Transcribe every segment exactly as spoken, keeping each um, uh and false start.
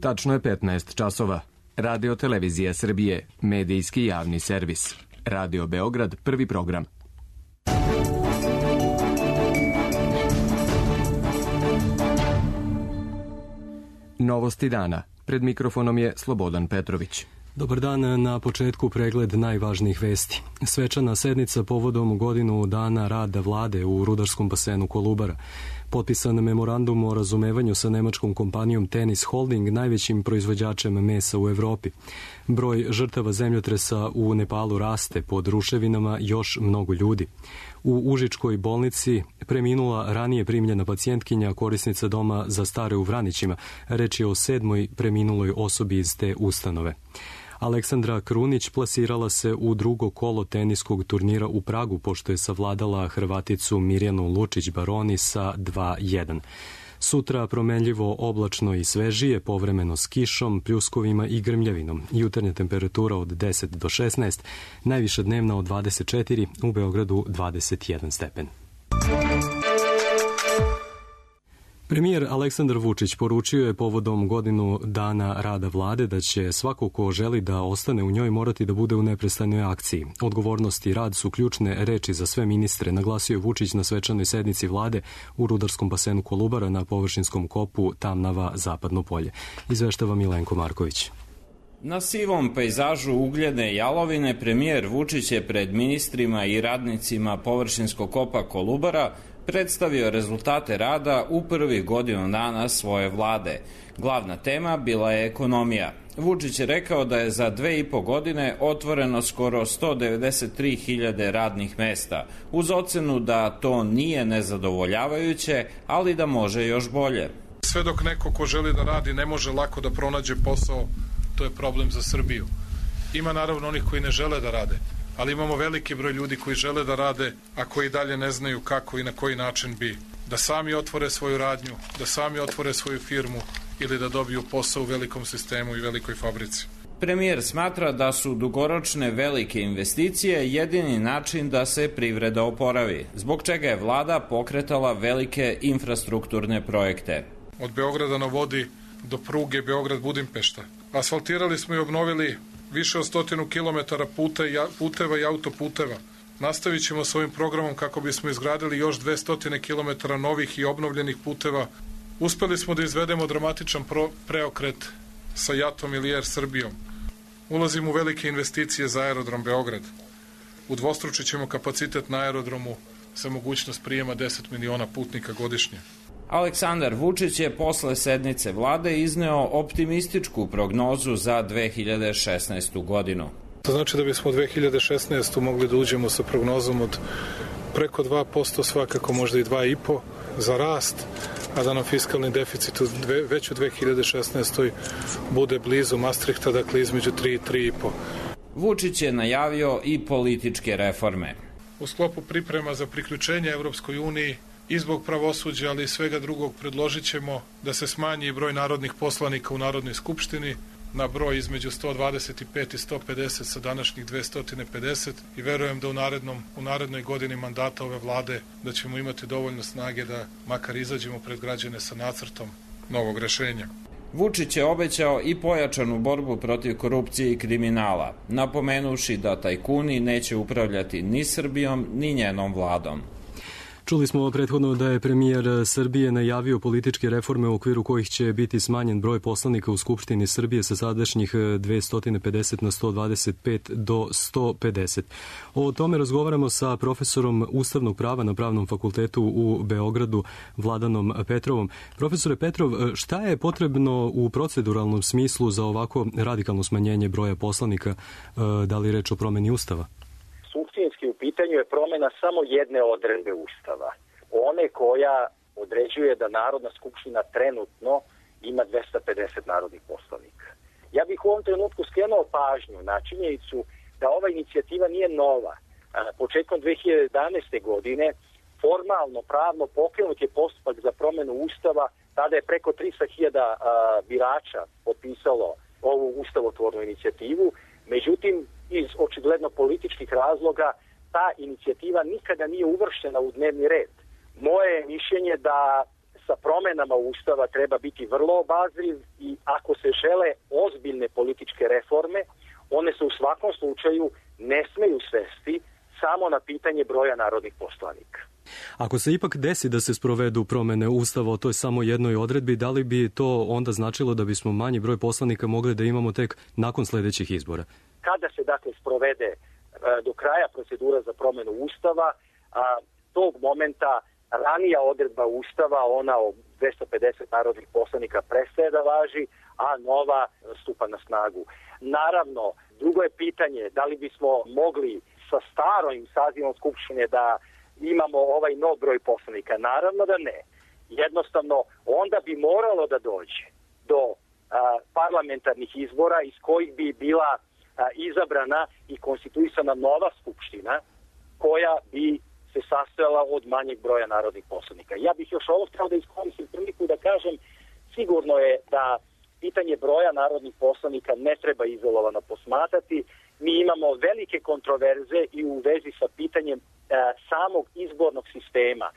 Tačno je petnaest časova. Radio Televizija Srbije, medijski javni servis. Radio Beograd, prvi program. Novosti dana. Pred mikrofonom je Slobodan Petrović. Dobar dan, na početku pregled najvažnijih vesti. Svečana sednica povodom godinu dana rada vlade u rudarskom basenu Kolubara. Potpisan memorandum o razumevanju sa nemačkom kompanijom Tennis Holding, najvećim proizvođačem mesa u Evropi. Broj žrtava zemljotresa u Nepalu raste, pod ruševinama još mnogo ljudi. U Užičkoj bolnici preminula ranije primljena pacijentkinja, korisnica doma za stare u Vranićima. Reč je o sedmoj preminuloj osobi iz te ustanove. Aleksandra Krunić plasirala se u drugo kolo teniskog turnira u Pragu, pošto je savladala Hrvaticu Mirjanu Lučić-Baroni sa dva jedan. Sutra promenljivo, oblačno i svežije, povremeno s kišom, pljuskovima i grmljavinom. Jutarnja temperatura od deset do šesnaest, najviša dnevna od dvadeset četiri, u Beogradu dvadeset jedan stepen. Premijer Aleksandar Vučić poručio je povodom godinu dana rada vlade da će svako ko želi da ostane u njoj morati da bude u neprestanoj akciji. Odgovornost i rad su ključne reči za sve ministre, naglasio je Vučić na svečanoj sednici vlade u rudarskom basenu Kolubara na površinskom kopu Tamnava Zapadno polje. Izveštava Milenko Marković. Na sivom pejzažu ugljene jalovine premijer Vučić je pred ministrima i radnicima površinskog kopa Kolubara predstavio rezultate rada u prvih godinu dana svoje vlade. Glavna tema bila je ekonomija. Vučić je rekao da je za dve i po godine otvoreno skoro sto devedeset tri hiljade radnih mesta, uz ocenu da to nije nezadovoljavajuće, ali da može još bolje. Sve dok neko ko želi da radi ne može lako da pronađe posao, to je problem za Srbiju. Ima naravno onih koji ne žele da rade, ali imamo veliki broj ljudi koji žele da rade, a koji dalje ne znaju kako i na koji način bi. Da sami otvore svoju radnju, da sami otvore svoju firmu ili da dobiju posao u velikom sistemu i velikoj fabrici. Premijer smatra da su dugoročne velike investicije jedini način da se privreda oporavi, zbog čega je vlada pokretala velike infrastrukturne projekte. Od Beograda na vodi do pruge Beograd-Budimpešta. Asfaltirali smo i obnovili više od stotinu kilometara puteva i autoputeva. Nastavit ćemo s ovim programom kako bismo izgradili još dvesta kilometara novih i obnovljenih puteva. Uspeli smo da izvedemo dramatičan preokret sa JAT-om ili Air Srbijom. Ulazimo u velike investicije za aerodrom Beograd. Udvostručit ćemo kapacitet na aerodromu sa mogućnost prijema deset miliona putnika godišnje. Aleksandar Vučić je posle sednice vlade izneo optimističku prognozu za dve hiljade šesnaestu godinu. To znači da bismo u dve hiljade šesnaestoj mogli da uđemo sa prognozom od preko dva posto, svakako možda i dva i po za rast, a da nam fiskalni deficit već u dve hiljade šesnaestoj bude blizu Maastrichta, dakle između tri i tri i po. Vučić je najavio i političke reforme. U sklopu priprema za priključenje Evropskoj uniji i zbog pravosuđa, ali i svega drugog, predložit ćemo da se smanji broj narodnih poslanika u Narodnoj skupštini na broj između sto dvadeset pet i sto pedeset sa današnjih dvesta pedeset i verujem da u, narednom, u narednoj godini mandata ove vlade da ćemo imati dovoljno snage da makar izađemo pred građane sa nacrtom novog rešenja. Vučić je obećao i pojačanu borbu protiv korupcije i kriminala, napomenuši da tajkuni neće upravljati ni Srbijom ni njenom vladom. Čuli smo prethodno da je premijer Srbije najavio političke reforme u okviru kojih će biti smanjen broj poslanika u Skupštini Srbije sa sadašnjih dvesta pedeset na sto dvadeset pet do sto pedeset. O tome razgovaramo sa profesorom ustavnog prava na Pravnom fakultetu u Beogradu, Vladanom Petrovom. Profesore Petrov, šta je potrebno u proceduralnom smislu za ovako radikalno smanjenje broja poslanika, da li reč o promeni Ustava? Suštinski u pitanju je promena samo jedne odredbe Ustava. One koja određuje da Narodna skupština trenutno ima dvesta pedeset narodnih poslanika. Ja bih u ovom trenutku skrenuo pažnju na činjenicu da ova inicijativa nije nova. Početkom dve hiljade jedanaeste. godine formalno, pravno pokrenut je postupak za promenu Ustava. Tada je preko tristo hiljada birača potpisalo ovu ustavotvornu inicijativu. Međutim, iz očigledno političkih razloga ta inicijativa nikada nije uvrštena u dnevni red. Moje je mišljenje da sa promenama Ustava treba biti vrlo obazriv i ako se žele ozbiljne političke reforme, one se u svakom slučaju ne smeju svesti samo na pitanje broja narodnih poslanika. Ako se ipak desi da se sprovedu promene Ustava o toj samo jednoj odredbi, da li bi to onda značilo da bismo manji broj poslanika mogli da imamo tek nakon sledećih izbora? Kada se dakle sprovede do kraja procedura za promenu Ustava, a, tog momenta ranija odredba Ustava, ona o dvesta pedeset narodnih poslanika, prestaje da važi, a nova stupa na snagu. Naravno, drugo je pitanje da li bismo mogli sa starom sazivom Skupštine da imamo ovaj nov broj poslanika. Naravno da ne. Jednostavno, onda bi moralo da dođe do a, parlamentarnih izbora iz kojih bi bila a, izabrana i konstituisana nova Skupština koja bi se sastojala od manjeg broja narodnih poslanika. Ja bih još ovo htio da iskoristim priliku da kažem, sigurno je da pitanje broja narodnih poslanika ne treba izolovano posmatrati. Mi imamo velike kontroverze i u vezi sa pitanjem e, samog izbornog sistema,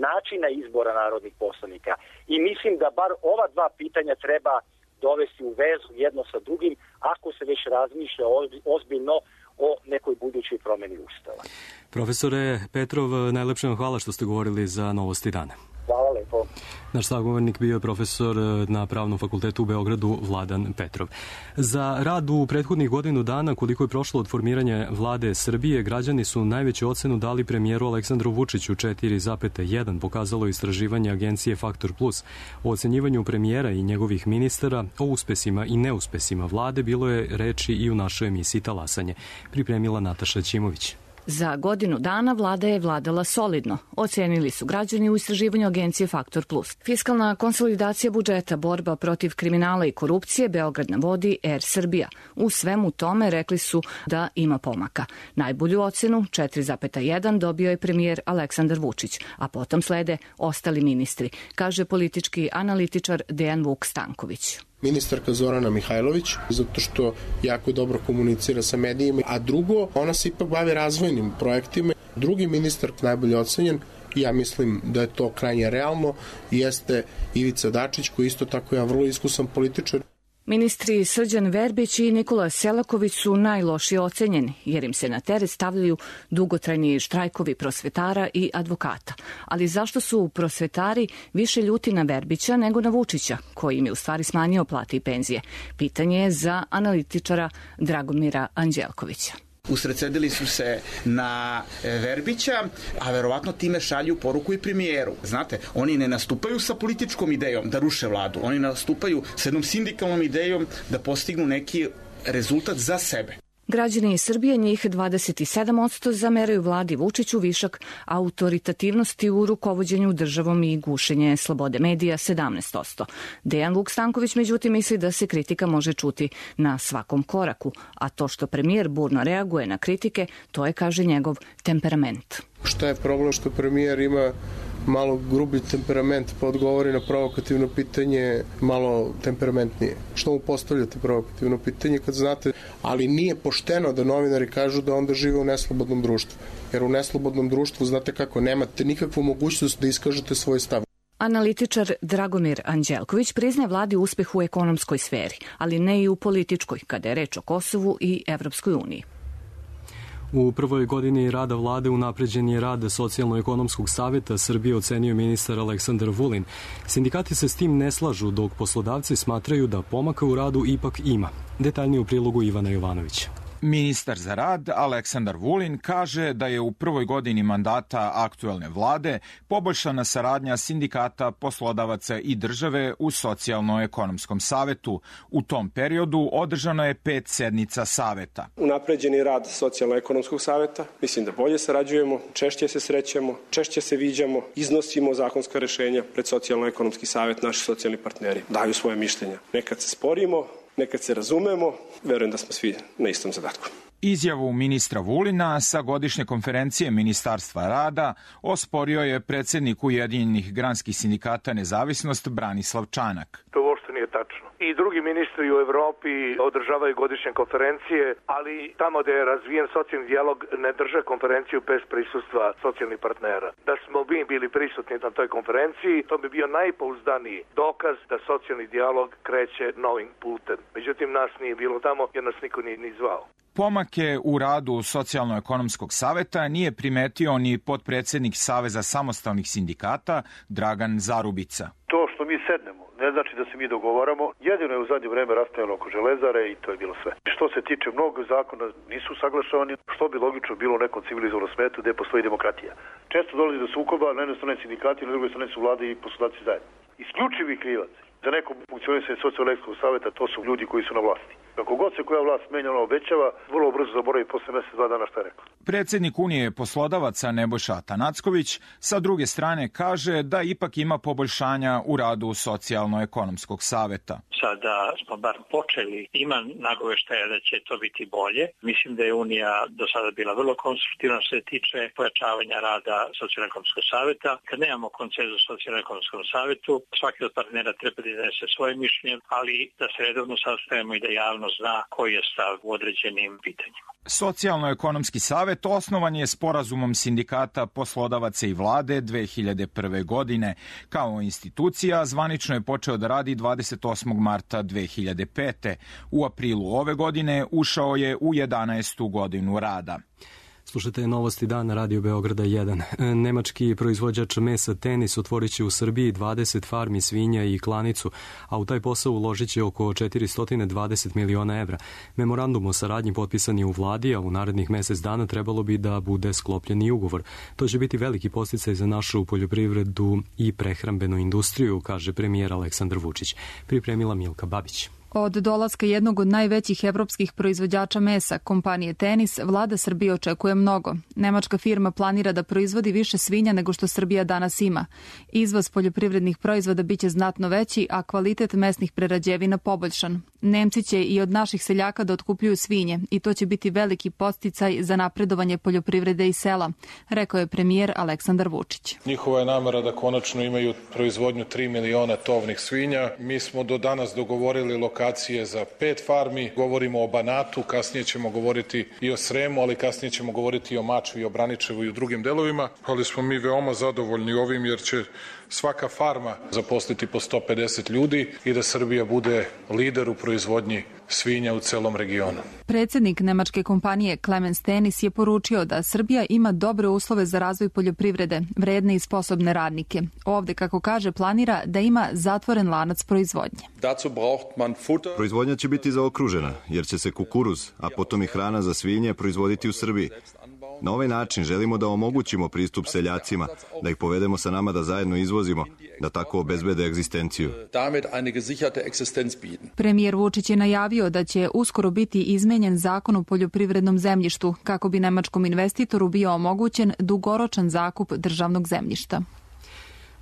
načina izbora narodnih poslanika. I mislim da bar ova dva pitanja treba dovesti u vezu jedno sa drugim ako se već razmišlja ozbiljno o nekoj budućoj promeni Ustava. Profesore Petrov, najlepše vam hvala što ste govorili za Novosti dana. Hvala lepo. Naš sagovornik bio je profesor na Pravnom fakultetu u Beogradu Vladan Petrov. Za rad u prethodnih godinu dana, koliko je prošlo od formiranja vlade Srbije, građani su najveću ocenu dali premijeru Aleksandru Vučiću četiri zarez jedan, pokazalo istraživanje agencije Faktor Plus. O ocenjivanju premijera i njegovih ministara, o uspesima i neuspesima vlade bilo je reči i u našoj emisiji Talasanje. Pripremila Nataša Ćimović. Za godinu dana vlada je vladala solidno, ocenili su građani u istraživanju agencije Faktor Plus. Fiskalna konsolidacija budžeta, borba protiv kriminala i korupcije, Beograd na vodi, Er Srbija. U svemu tome rekli su da ima pomaka. Najbolju ocenu, četiri zarez jedan, dobio je premijer Aleksandar Vučić, a potom slede ostali ministri, kaže politički analitičar Dejan Vuk Stanković. Ministarka Zorana Mihajlović, zato što jako dobro komunicira sa medijima, a drugo, ona se ipak bavi razvojnim projektima. Drugi ministar najbolje ocenjen, ja mislim da je to krajnje realno, jeste Ivica Dačić, koji isto tako je vrlo iskusan političar. Ministri Srđan Verbić i Nikola Selaković su najlošije ocenjeni, jer im se na teret stavljaju dugotrajni štrajkovi prosvetara i advokata. Ali zašto su prosvetari više ljuti na Verbića nego na Vučića, koji im je u stvari smanjio plate i penzije? Pitanje je za analitičara Dragomira Anđelkovića. Usredsredili su se na Verbića, a verovatno time šalju poruku i premijeru. Znate, oni ne nastupaju sa političkom idejom da ruše vladu, oni nastupaju sa jednom sindikalnom idejom da postignu neki rezultat za sebe. Građani iz Srbije, njih dvadeset sedam posto, zameraju vladi Vučiću višak autoritativnosti u rukovođenju državom i gušenje slobode medija sedamnaest posto. Dejan Vuk Stanković međutim misli da se kritika može čuti na svakom koraku, a to što premijer burno reaguje na kritike, to je, kaže, njegov temperament. Šta je problem što premijer ima malo grubi temperament, pa odgovori na provokativno pitanje malo temperamentnije? Što mu postavljate provokativno pitanje kad znate? Ali nije pošteno da novinari kažu da onda žive u neslobodnom društvu. Jer u neslobodnom društvu, znate kako, nemate nikakvu mogućnost da iskažete svoj stav. Analitičar Dragomir Anđelković priznaje vladi uspeh u ekonomskoj sferi, ali ne i u političkoj, kada je reč o Kosovu i Evropskoj uniji. U prvoj godini rada vlade unapređen je rad Socijalno-ekonomskog saveta Srbije, ocenio ministar Aleksandar Vulin. Sindikati se s tim ne slažu, dok poslodavci smatraju da pomaka u radu ipak ima. Detaljnije u prilogu Ivana Jovanovića. Ministar za rad Aleksandar Vulin kaže da je u prvoj godini mandata aktuelne vlade poboljšana saradnja sindikata, poslodavaca i države u Socijalno-ekonomskom savetu. U tom periodu održano je pet sednica saveta. Unapređen je rad Socijalno-ekonomskog saveta. Mislim da bolje sarađujemo, češće se srećemo, češće se viđamo, iznosimo zakonska rešenja pred Socijalno-ekonomski savet. Naši socijalni partneri daju svoje mišljenja. Nekad se sporimo, nekad se razumemo, verujem da smo svi na istom zadatku. Izjavu ministra Vulina sa godišnje konferencije Ministarstva rada osporio je predsednik Ujedinjenih granskih sindikata Nezavisnost Branislav Čanak. To uopšte nije nije tačno. I drugi ministri u Evropi održavaju godišnje konferencije, ali tamo gde je razvijen socijalni dijalog ne drže konferenciju bez prisustva socijalnih partnera. Da smo mi bili prisutni na toj konferenciji, to bi bio najpouzdaniji dokaz da socijalni dijalog kreće novim putem. Međutim, nas nije bilo tamo jer nas niko nije ni zvao. Pomake u radu Socijalno-ekonomskog saveta nije primetio ni potpredsednik Saveza samostalnih sindikata Dragan Zarubica. To što mi sednemo ne znači da se mi dogovaramo. Jedino je u zadnje vreme raspravljeno oko Železare i to je bilo sve. Što se tiče mnogo zakona nisu saglašavani, što bi logično bilo u nekom civilizovanom svetu gde postoji demokratija. Često dolazi do sukoba, na jednoj strani sindikati, na drugoj strani su vlade i poslodavci zajedno. Isključivi krivac za neko funkcionisanje Socijalno-ekonomskog saveta to su ljudi koji su na vlasti. Kako god se koja vlast menja, ona obećava, vrlo brzo zaboravi posle mesec, dva dana šta je rekla. Predsednik Unije poslodavaca Nebojša Atanacković sa druge strane kaže da ipak ima poboljšanja u radu Socijalno-ekonomskog saveta. Sada smo bar počeli, ima nagoveštaja da će to biti bolje. Mislim da je Unija do sada bila vrlo konstruktivna što se tiče pojačavanja rada Socijalno-ekonomskog saveta. Kad nemamo konsenzus u Socijalno-ekonomskom savetu, svaki od partnera treba da iznese svoje mišljenje, ali da se redovno sastajemo i da javno zna koji je stav u određenim pitanjima. Socijalno-ekonomski savet osnovan je sporazumom sindikata, poslodavaca i vlade dve hiljade prve. godine. Kao institucija zvanično je počeo da radi dvadeset osmog marta dve hiljade pete. U aprilu ove godine ušao je u jedanaestu godinu rada. Slušajte novosti dana Radio Beograda jedan. Nemački proizvođač mesa Tenis otvorit će u Srbiji dvadeset farmi svinja i klanicu, a u taj posao uložit će oko četiristo dvadeset miliona evra. Memorandum o saradnji potpisan je u vladi, a u narednih mesec dana trebalo bi da bude sklopljen i ugovor. To će biti veliki podsticaj za našu poljoprivredu i prehrambenu industriju, kaže premijer Aleksandar Vučić. Pripremila Milka Babić. Od dolaska jednog od najvećih evropskih proizvođača mesa, kompanije Tenis, vlada Srbije očekuje mnogo. Nemačka firma planira da proizvodi više svinja nego što Srbija danas ima. Izvoz poljoprivrednih proizvoda biće znatno veći, a kvalitet mesnih prerađevina poboljšan. Nemci će i od naših seljaka da otkupljuju svinje i to će biti veliki podsticaj za napredovanje poljoprivrede i sela, rekao je premijer Aleksandar Vučić. Njihova je namera da konačno imaju proizvodnju tri miliona tovnih svinja. Mi smo do danas dogovorili lokacije za pet farmi. Govorimo o Banatu, kasnije ćemo govoriti i o Sremu, ali kasnije ćemo govoriti i o Mačvi, i o Braničevu i u drugim delovima. Ali smo mi veoma zadovoljni ovim jer će svaka farma zaposliti po sto pedeset ljudi i da Srbija bude lider u proizvodnji svinja u celom regionu. Predsednik nemačke kompanije Clemens Tenis je poručio da Srbija ima dobre uslove za razvoj poljoprivrede, vredne i sposobne radnike. Ovde, kako kaže, planira da ima zatvoren lanac proizvodnje. Proizvodnja će biti zaokružena, jer će se kukuruz, a potom i hrana za svinje proizvoditi u Srbiji. Na ovaj način želimo da omogućimo pristup seljacima, da ih povedemo sa nama da zajedno izvozimo, da tako obezbede egzistenciju. Premijer Vučić je najavio da će uskoro biti izmenjen zakon o poljoprivrednom zemljištu, kako bi nemačkom investitoru bio omogućen dugoročan zakup državnog zemljišta.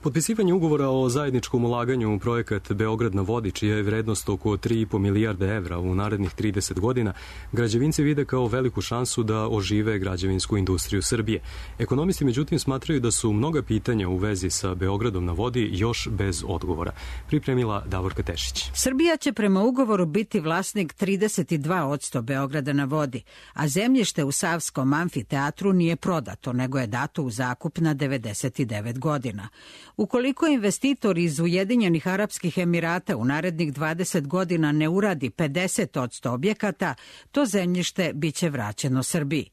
Potpisivanje ugovora o zajedničkom ulaganju u projekat Beograd na vodi, čija je vrednost oko tri i po milijarde evra u narednih trideset godina, građevinci vide kao veliku šansu da ožive građevinsku industriju Srbije. Ekonomisti međutim smatraju da su mnoga pitanja u vezi sa Beogradom na vodi još bez odgovora. Pripremila Davorka Tešić. Srbija će prema ugovoru biti vlasnik trideset dva posto Beograda na vodi, a zemljište u Savskom amfiteatru nije prodato, nego je dato u zakup na devedeset devet godina. Ukoliko investitor iz Ujedinjenih Arapskih Emirata u narednih dvadeset godina ne uradi pedeset posto objekata, to zemljište biće vraćeno Srbiji.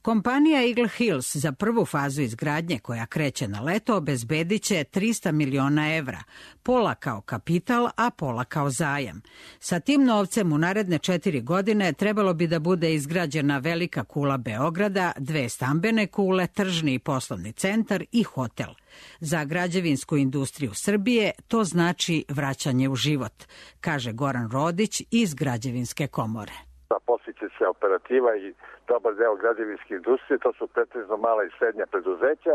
Kompanija Eagle Hills za prvu fazu izgradnje, koja kreće na leto, obezbedit će trista miliona evra, pola kao kapital, a pola kao zajam. Sa tim novcem u naredne četiri godine trebalo bi da bude izgrađena velika kula Beograda, dve stambene kule, tržni i poslovni centar i hotel. Za građevinsku industriju Srbije to znači vraćanje u život, kaže Goran Rodić iz Građevinske komore. Zaposliće se operativa i dobar deo građevinske industrije, to su pretežno mala i srednja preduzeća.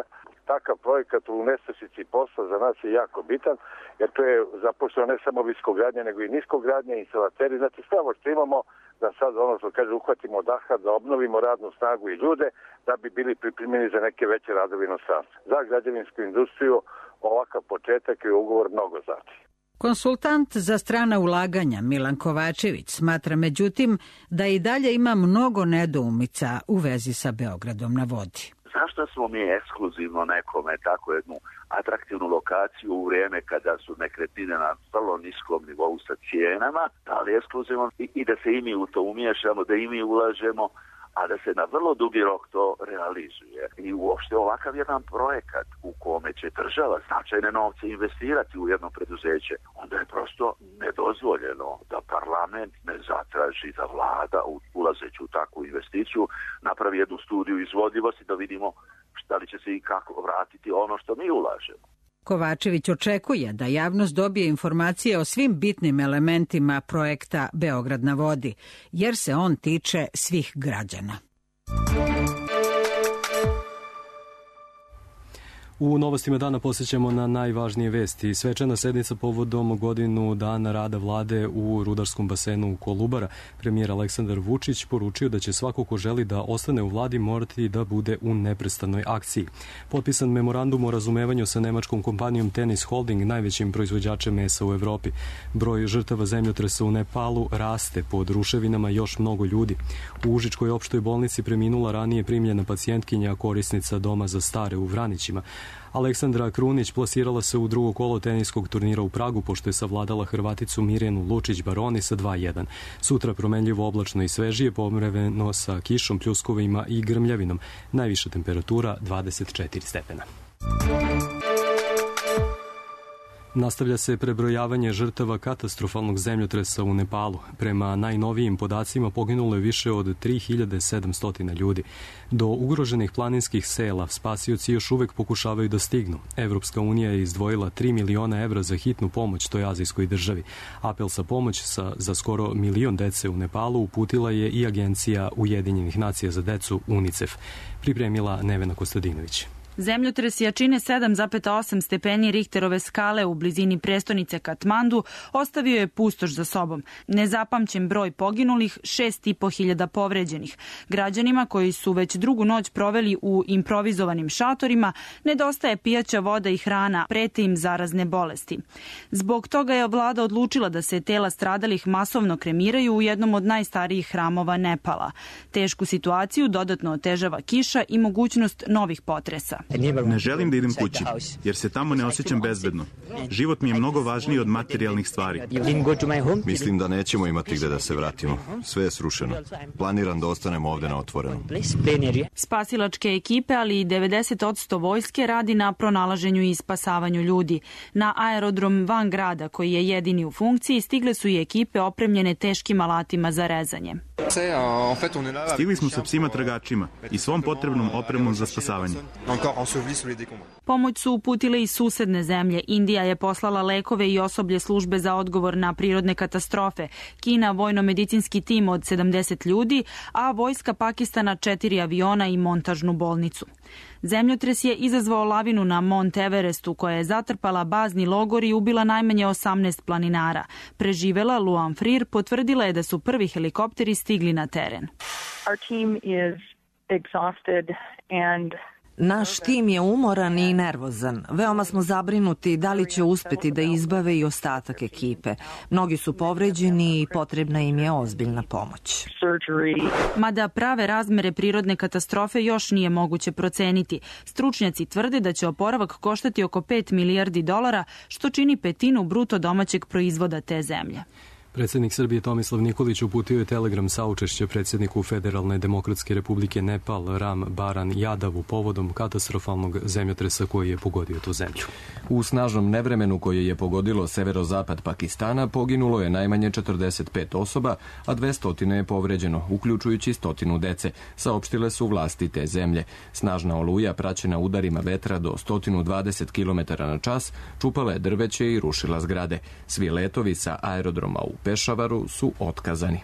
Takav projekat u nestašici posla za nas je jako bitan, jer to je zaposleno ne samo viskogradnja, nego i niskogradnja, instalateri. Znači sve ovo što imamo da sad ono što kaže uhvatimo daha, da obnovimo radnu snagu i ljude, da bi bili pripremljeni za neke veće radove inostranstva. Za građevinsku industriju ovakav početak i ugovor mnogo znači. Konsultant za strana ulaganja Milan Kovačević smatra međutim da i dalje ima mnogo nedoumica u vezi sa Beogradom na vodi. Zašto smo mi ekskluzivno nekome tako jednu atraktivnu lokaciju u vrijeme kada su nekretnine na vrlo niskom nivou sa cijenama, da li ekskluzivno i, i da se i mi u to umiješamo, da i mi ulažemo, a da se na vrlo dugi rok to realizuje. I uopšte ovakav jedan projekat u kome će država značajne novce investirati u jedno preduzeće, onda je prosto nedozvoljeno da parlament ne zatraži da vlada, ulazeći u takvu investiciju, napravi jednu studiju izvodljivosti da vidimo šta li će se i kako vratiti ono što mi ulažemo. Kovačević očekuje da javnost dobije informacije o svim bitnim elementima projekta Beograd na vodi, jer se on tiče svih građana. U novostima dana posjećamo na najvažnije vesti. Svečana sednica povodom godinu dana rada vlade u rudarskom basenu Kolubara. Premijer Aleksandar Vučić poručio da će svako ko želi da ostane u vladi morati da bude u neprestanoj akciji. Potpisan memorandum o razumevanju sa nemačkom kompanijom Tennis Holding, najvećim proizvođačem mesa u Evropi. Broj žrtava zemljotresa u Nepalu raste, pod ruševinama još mnogo ljudi. U Užičkoj opštoj bolnici preminula ranije primljena pacijentkinja, korisnica doma za stare u Vranićima. Aleksandra Krunić plasirala se u drugo kolo teniskog turnira u Pragu, pošto je savladala Hrvaticu Mirjanu Lučić-Baroni sa dva jedan. Sutra promenljivo oblačno i svežije, povremeno sa kišom, pljuskovima i grmljavinom. Najviša temperatura dvadeset četiri stepena. Nastavlja se prebrojavanje žrtava katastrofalnog zemljotresa u Nepalu. Prema najnovijim podacima poginulo je više od tri hiljade sedamsto ljudi. Do ugroženih planinskih sela spasioci još uvek pokušavaju da stignu. Evropska unija je izdvojila tri miliona evra za hitnu pomoć toj azijskoj državi. Apel sa pomoć sa, za skoro milion dece u Nepalu uputila je i Agencija Ujedinjenih nacija za decu UNICEF. Pripremila Nevena Kostadinović. Zemljotres jačine sedam zarez osam stepeni Richterove skale u blizini prestonice Katmandu ostavio je pustoš za sobom. Nezapamćen broj poginulih, šest i po hiljada povređenih. Građanima koji su već drugu noć proveli u improvizovanim šatorima nedostaje pijaća voda i hrana, prete im zarazne bolesti. Zbog toga je vlada odlučila da se tela stradalih masovno kremiraju u jednom od najstarijih hramova Nepala. Tešku situaciju dodatno otežava kiša i mogućnost novih potresa. Ne želim da idem kući, jer se tamo ne osjećam bezbedno. Život mi je mnogo važniji od materijalnih stvari. Mislim da nećemo imati gde da se vratimo. Sve je srušeno. Planiram da ostanemo ovde na otvorenom. Spasilačke ekipe, ali i devedeset posto vojske radi na pronalaženju i spasavanju ljudi. Na aerodrom van grada, koji je jedini u funkciji, stigle su i ekipe opremljene teškim alatima za rezanje. Stigli smo sa psima tragačima i svom potrebnom opremom za spasavanje. Pomoć su uputile i susedne zemlje. Indija je poslala lekove i osoblje službe za odgovor na prirodne katastrofe. Kina vojno-medicinski tim od sedamdeset ljudi, a vojska Pakistana četiri aviona i montažnu bolnicu. Zemljotres je izazvao lavinu na Mont Everestu, koja je zatrpala bazni logor i ubila najmanje osamnaest planinara. Preživela Luan Freer potvrdila je da su prvi helikopteri stigli na teren. Our team is exhausted and Naš tim je umoran i nervozan. Veoma smo zabrinuti da li će uspeti da izbave i ostatak ekipe. Mnogi su povređeni i potrebna im je ozbiljna pomoć. Mada prave razmere prirodne katastrofe još nije moguće proceniti. Stručnjaci tvrde da će oporavak koštati oko pet milijardi dolara, što čini petinu bruto domaćeg proizvoda te zemlje. Predsjednik Srbije Tomislav Nikolić uputio je telegram saučešća predsjedniku Federalne demokratske republike Nepal Ram Baran Jadavu povodom katastrofalnog zemljotresa koji je pogodio tu zemlju. U snažnom nevremenu koje je pogodilo severozapad Pakistana poginulo je najmanje četrdeset pet osoba, a dvesta je povređeno, uključujući stotinu dece, saopštile su vlasti te zemlje. Snažna oluja praćena udarima vetra do sto dvadeset kilometara na čas čupala je drveće i rušila zgrade. Svi letovi sa aerodroma u Pešavaru su otkazani.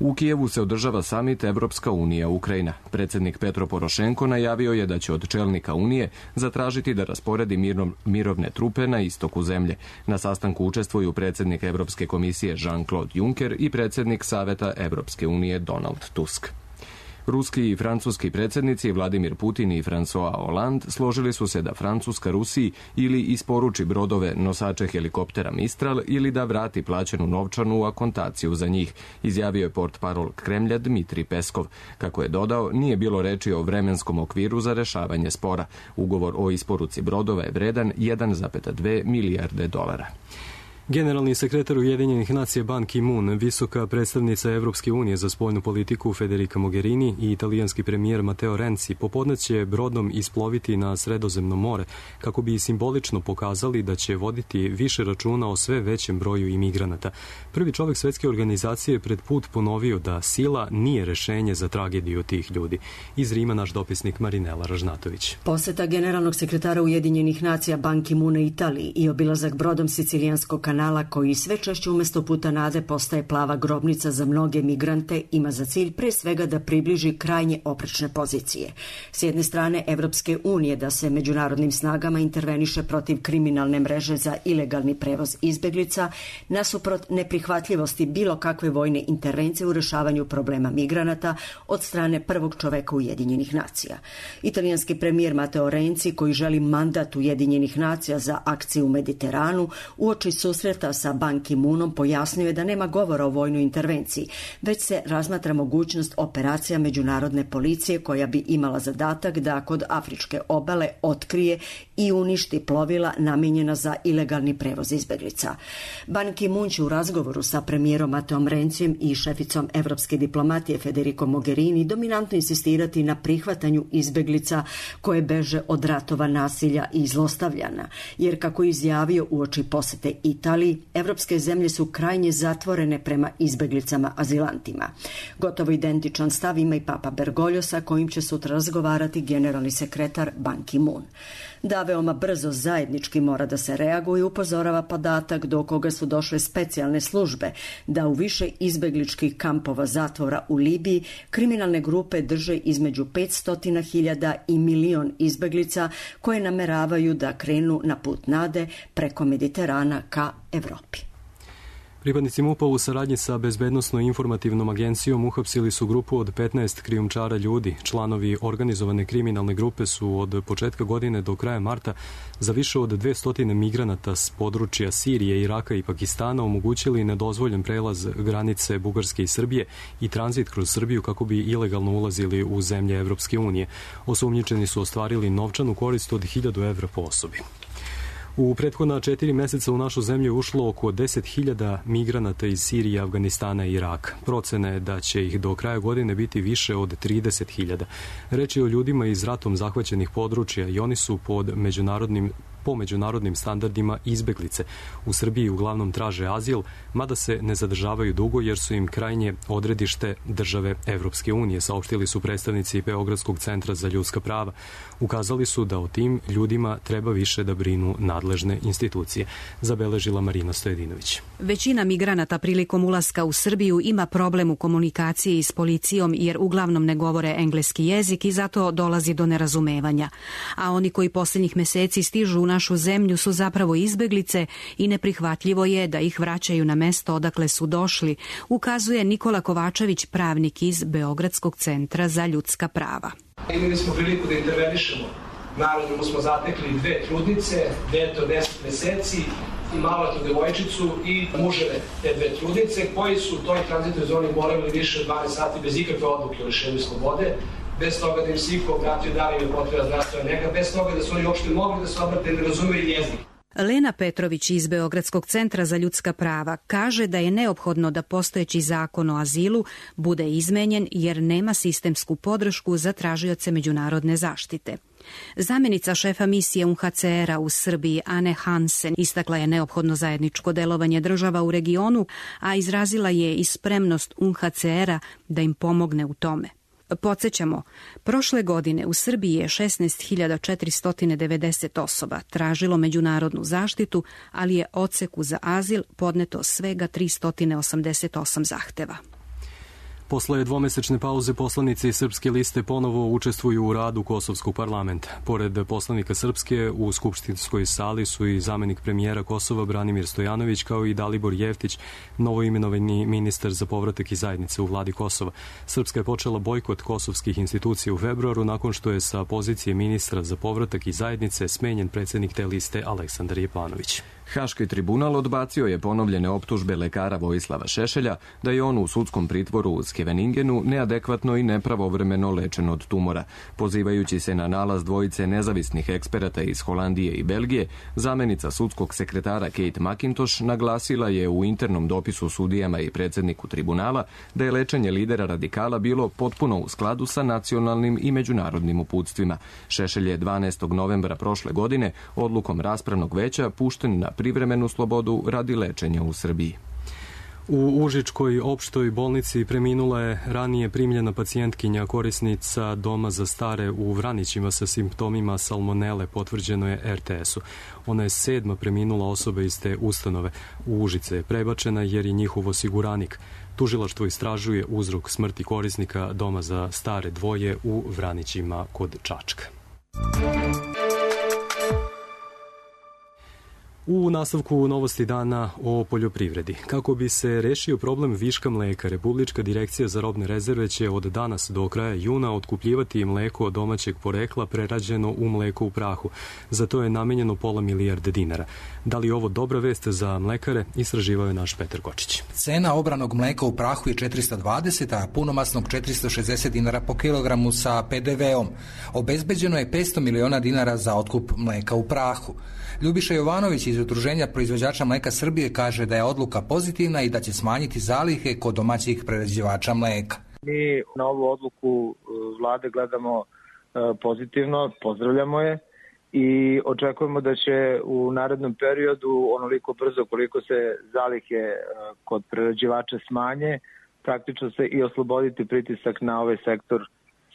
U Kijevu se održava samit Evropska unija Ukrajina. Predsjednik Petro Porošenko najavio je da će od čelnika Unije zatražiti da rasporedi mirno, mirovne trupe na istoku zemlje. Na sastanku učestvuju predsjednik Evropske komisije Jean-Claude Juncker i predsjednik Saveta Evropske unije Donald Tusk. Ruski i francuski predsjednici Vladimir Putin i François Hollande složili su se da Francuska Rusiji ili isporuči brodove nosače helikoptera Mistral ili da vrati plaćenu novčanu akontaciju za njih, izjavio je portparol Kremlja Dmitrij Peskov. Kako je dodao, nije bilo reči o vremenskom okviru za rešavanje spora. Ugovor o isporuci brodova je vredan jedan zarez dve milijarde dolara. Generalni sekretar Ujedinjenih nacija Ban Ki-moon, visoka predstavnica Evropske unije za spoljnu politiku Federica Mogherini i italijanski premijer Matteo Renzi popodne će brodom isploviti na Sredozemno more kako bi simbolično pokazali da će voditi više računa o sve većem broju imigranata. Prvi čovek svetske organizacije je pred put ponovio da sila nije rešenje za tragediju tih ljudi. Iz Rima naš dopisnik Marinela Ražnatović. Poseta generalnog sekretara Ujedinjenih nacija Ban Ki-moona Italiji i obilazak brodom sicilijanskog kanala koji sve češće umesto puta nade postaje plava grobnica za mnoge migrante ima za cilj pre svega da približi krajnje oprečne pozicije. S jedne strane Evropske unije da se međunarodnim snagama interveniše protiv kriminalne mreže za ilegalni prevoz izbeglica, nasuprot neprihvatljivosti bilo kakve vojne intervencije u rešavanju problema migranata od strane prvog čoveka Ujedinjenih nacija. Italijanski premijer Matteo Renzi, koji želi mandat Ujedinjenih nacija za akciju u Mediteranu, uoči susreta sa Ban Ki-moonom pojasnio je da nema govora o vojnoj intervenciji, već se razmatra mogućnost operacija međunarodne policije koja bi imala zadatak da kod afričke obale otkrije i uništi plovila namijenjena za ilegalni prevoz izbeglica. Ban Ki-moon će u razgovoru sa premijerom Mateom Renzijem i šeficom evropske diplomatije Federico Mogherini dominantno insistirati na prihvatanju izbeglica koje beže od ratova, nasilja i zlostavljana, jer kako je izjavio uoči posete Italiji, evropske zemlje su krajnje zatvorene prema izbeglicama azilantima. Gotovo identičan stav ima i Papa Bergoglio sa kojim će sutra razgovarati generalni sekretar Ban Ki-moon. Da veoma brzo zajednički mora da se reaguje, upozorava podatak do koga su došle specijalne službe, da u više izbegličkih kampova zatvora u Libiji kriminalne grupe drže između petsto hiljada i milion izbeglica koje nameravaju da krenu na put nade preko Mediterana ka Evropi. Pripadnici MUP-a u saradnji sa Bezbednosno-informativnom agencijom uhapsili su grupu od petnaest krijumčara ljudi. Članovi organizovane kriminalne grupe su od početka godine do kraja marta za više od dvesta migranata s područja Sirije, Iraka i Pakistana omogućili nedozvoljen prelaz granice Bugarske i Srbije i tranzit kroz Srbiju kako bi ilegalno ulazili u zemlje Evropske unije. Osumnjičeni su ostvarili novčanu korist od hiljadu evra po osobi. U prethodna četiri meseca u našu zemlju je ušlo oko deset hiljada migranata iz Sirije, Afganistana i Iraka. Procena je da će ih do kraja godine biti više od trideset hiljada. Reč je o ljudima iz ratom zahvaćenih područja i oni su pod međunarodnim po međunarodnim standardima izbeglice. U Srbiji uglavnom traže azil, mada se ne zadržavaju dugo jer su im krajnje odredište države Evropske unije, saopštili su predstavnici Beogradskog centra za ljudska prava. Ukazali su da o tim ljudima treba više da brinu nadležne institucije, zabeležila Marina Stojedinović. Većina migranata prilikom ulaska u Srbiju ima problem u komunikaciji s policijom jer uglavnom ne govore engleski jezik i zato dolazi do nerazumevanja. A oni koji posljednjih meseci stižu u našu zemlju su zapravo izbeglice i neprihvatljivo je da ih vraćaju na mesto odakle su došli, ukazuje Nikola Kovačević, pravnik iz Beogradskog centra za ljudska prava. Imali smo priliku da intervenišemo. Naravno smo zatekli dve trudnice, dete od deset meseci i maloletnu devojčicu i muževe te dve trudnice koji su u toj tranzitnoj zoni boravili više od dvanaest sati bez ikakve odluke o lišenju slobode, bez toga da im se iko obratio da li im je potreba zdravstvena nega, bez toga da su oni uopšte mogli da se obrate, ne razumeju jezik. Lena Petrović iz Beogradskog centra za ljudska prava kaže da je neophodno da postojeći zakon o azilu bude izmenjen jer nema sistemsku podršku za tražioce međunarodne zaštite. Zamenica šefa misije U N H C R-a u Srbiji Ane Hansen istakla je neophodno zajedničko delovanje država u regionu, a izrazila je i spremnost U N H C R-a da im pomogne u tome. Podsjećamo, prošle godine u Srbiji je šesnaest hiljada četiristo devedeset osoba tražilo međunarodnu zaštitu, ali je odseku za azil podneto svega tristo osamdeset osam zahteva. Posle dvomesečne pauze poslanici Srpske liste ponovo učestvuju u radu Kosovskog parlamenta. Pored poslanika Srpske, u skupštinskoj sali su i zamenik premijera Kosova Branimir Stojanović, kao i Dalibor Jeftić, novoimenovani ministar za povratak i zajednice u vladi Kosova. Srpska je počela bojkot kosovskih institucija u februaru nakon što je sa pozicije ministra za povratak i zajednice smenjen predsjednik te liste Aleksandar Jepanović. Haški tribunal odbacio je ponovljene optužbe lekara Vojislava Šešelja da je on u sudskom pritvoru u Skeveningenu neadekvatno i nepravovremeno lečen od tumora. Pozivajući se na nalaz dvojice nezavisnih eksperata iz Holandije i Belgije, zamenica sudskog sekretara Kate McIntosh naglasila je u internom dopisu sudijama i predsjedniku tribunala da je lečenje lidera radikala bilo potpuno u skladu sa nacionalnim i međunarodnim uputstvima. Šešelj je dvanaestog novembra prošle godine odlukom raspravnog veća pušten na privremenu slobodu radi lečenja u Srbiji. U Užičkoj opštoj bolnici preminula je ranije primljena pacijentkinja korisnica doma za stare u Vranićima sa simptomima salmonele, potvrđeno je er te esu. Ona je sedma preminula osoba iz te ustanove. U Užice je prebačena jer je njihov osiguranik. Tužilaštvo istražuje uzrok smrti korisnika doma za stare dvoje u Vranićima kod Čačka. U nastavku novosti dana o poljoprivredi. Kako bi se rešio problem viška mleka, Republička direkcija za robne rezerve će od danas do kraja juna otkupljivati mleko od domaćeg porekla prerađeno u mleko u prahu. Za to je namenjeno pola milijarde dinara. Da li je ovo dobra vest za mlekare, istraživao je naš Petar Kočić. Cena obranog mleka u prahu je četiristo dvadeset, a punomasnog četiristo šezdeset dinara po kilogramu sa pe de veom. Obezbeđeno je petsto miliona dinara za otkup mleka u prahu. Ljubiša Jovanović iz Udruženja proizvođača mleka Srbije kaže da je odluka pozitivna i da će smanjiti zalihe kod domaćih prerađivača mleka. Mi na ovu odluku vlade gledamo pozitivno, pozdravljamo je i očekujemo da će u narednom periodu onoliko brzo koliko se zalihe kod prerađivača smanje, praktično se i osloboditi pritisak na ovaj sektor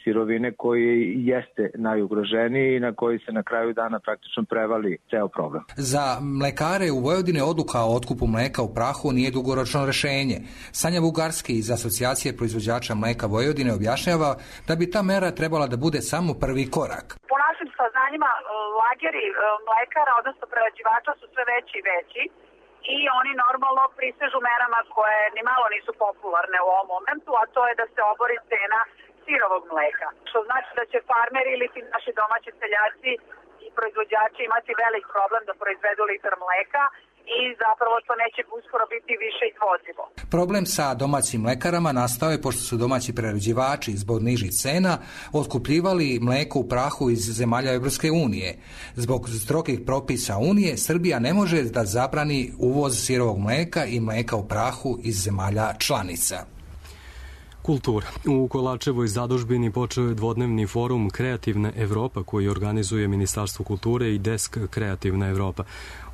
sirovine koji jeste najugroženiji i na koji se na kraju dana praktično prevali ceo problem. Za mlekare u Vojvodini odluka o otkupu mleka u prahu nije dugoročno rešenje. Sanja Bugarski iz Asocijacije proizvođača mleka Vojvodine objašnjava da bi ta mera trebala da bude samo prvi korak. Po našim saznanjima, lageri mlekara, odnosno prerađivača su sve veći i veći i oni normalno prisežu merama koje ni malo nisu popularne u ovom momentu, a to je da se obori cena sirovog mleka, što znači da će farmeri ili ti naši domaći seljaci i proizvođači imati velik problem da proizvedu litar mleka i zapravo to neće uskoro biti više izvodljivo. Problem sa domaćim mlekarama nastao je pošto su domaći prerađivači zbog nižih cena otkupljivali mleko u prahu iz zemalja Evropske unije. Zbog strogih propisa Unije, Srbija ne može da zabrani uvoz sirovog mleka i mleka u prahu iz zemalja članica. Kultura. U Kolarčevoj zadužbini počeo je dvodnevni forum Kreativna Evropa koji organizuje Ministarstvo kulture i Desk Kreativna Evropa.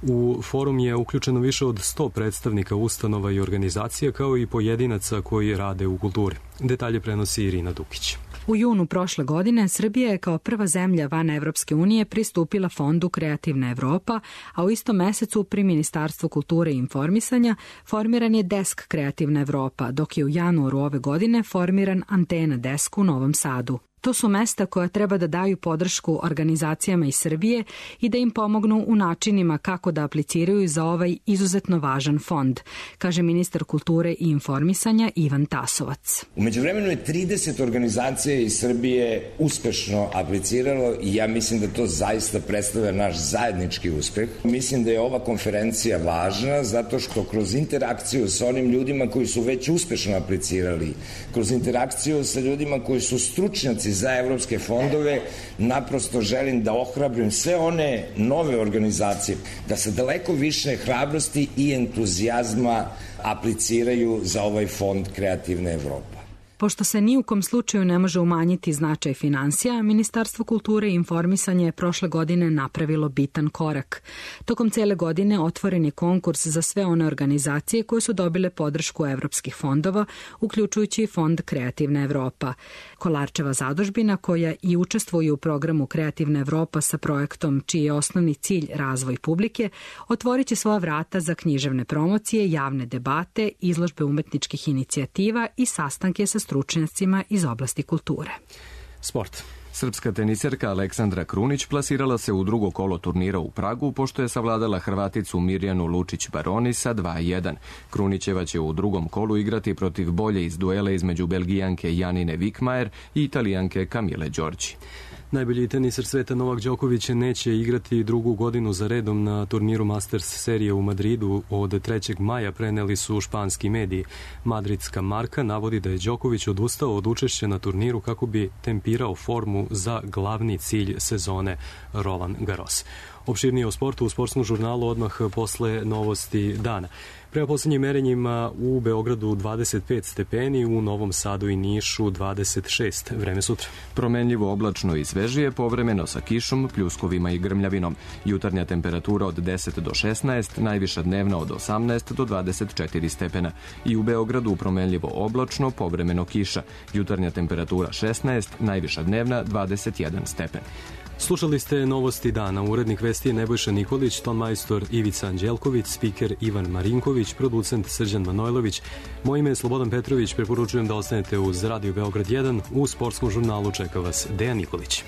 U forum je uključeno više od sto predstavnika ustanova i organizacija kao i pojedinaca koji rade u kulturi. Detalje prenosi Irina Dukić. U junu prošle godine Srbija je kao prva zemlja van Evropske unije pristupila fondu Kreativna Evropa, a u istom mesecu pri Ministarstvu kulture i informisanja formiran je Desk Kreativna Evropa, dok je u januaru ove godine formiran Antena Desk u Novom Sadu. To su mesta koja treba da daju podršku organizacijama iz Srbije i da im pomognu u načinima kako da apliciraju za ovaj izuzetno važan fond, kaže ministar kulture i informisanja Ivan Tasovac. U međuvremenu je trideset organizacija iz Srbije uspešno apliciralo i ja mislim da to zaista predstavlja naš zajednički uspeh. Mislim da je ova konferencija važna zato što kroz interakciju sa onim ljudima koji su već uspešno aplicirali, kroz interakciju sa ljudima koji su stručnjaci za evropske fondove, naprosto želim da ohrabrim sve one nove organizacije da sa daleko više hrabrosti i entuzijazma apliciraju za ovaj fond Kreativna Evropa. Pošto se ni u kom slučaju ne može umanjiti značaj finansija, Ministarstvo kulture i informisanja je prošle godine napravilo bitan korak. Tokom cele godine otvoren je konkurs za sve one organizacije koje su dobile podršku evropskih fondova, uključujući i fond Kreativna Evropa. Kolarčeva zadužbina, koja i učestvuje u programu Kreativna Evropa sa projektom čiji je osnovni cilj razvoj publike, otvorit će svoja vrata za književne promocije, javne debate, izložbe umetničkih inicijativa i sastanke sa stručnjacima iz oblasti kulture. Sport. Srpska teniserka Aleksandra Krunić plasirala se u drugo kolo turnira u Pragu, pošto je savladala Hrvaticu Mirjanu Lučić-Baroni sa dva jedan. Krunićeva će u drugom kolu igrati protiv bolje iz duela između Belgijanke Janine Vikmajer i Italijanke Kamile Đorđi. Najbolji teniser sveta Novak Đoković neće igrati drugu godinu za redom na turniru Masters serije u Madridu. Od trećeg maja preneli su španski mediji. Madridska marka navodi da je Đoković odustao od učešća na turniru kako bi tempirao formu za glavni cilj sezone Roland Garros. Opširnije o sportu u sportskom žurnalu odmah posle novosti dana. Prema poslednjim merenjima u Beogradu dvadeset pet stepeni, u Novom Sadu i Nišu dvadeset šest. Vreme sutra. Promenljivo oblačno i svežije, povremeno sa kišom, pljuskovima i grmljavinom. Jutarnja temperatura od deset do šesnaest, najviša dnevna od osamnaest do dvadeset četiri stepena. I u Beogradu promenljivo oblačno, povremeno kiša. Jutarnja temperatura šesnaest, najviša dnevna dvadeset jedan stepen. Slušali ste novosti dana. Urednik vesti je Nebojša Nikolić, ton majstor Ivica Anđelković, spiker Ivan Marinković, producent Srđan Manojlović. Moje ime je Slobodan Petrović, preporučujem da ostanete uz Radio Beograd jedan. U sportskom žurnalu čeka vas Dejan Nikolić.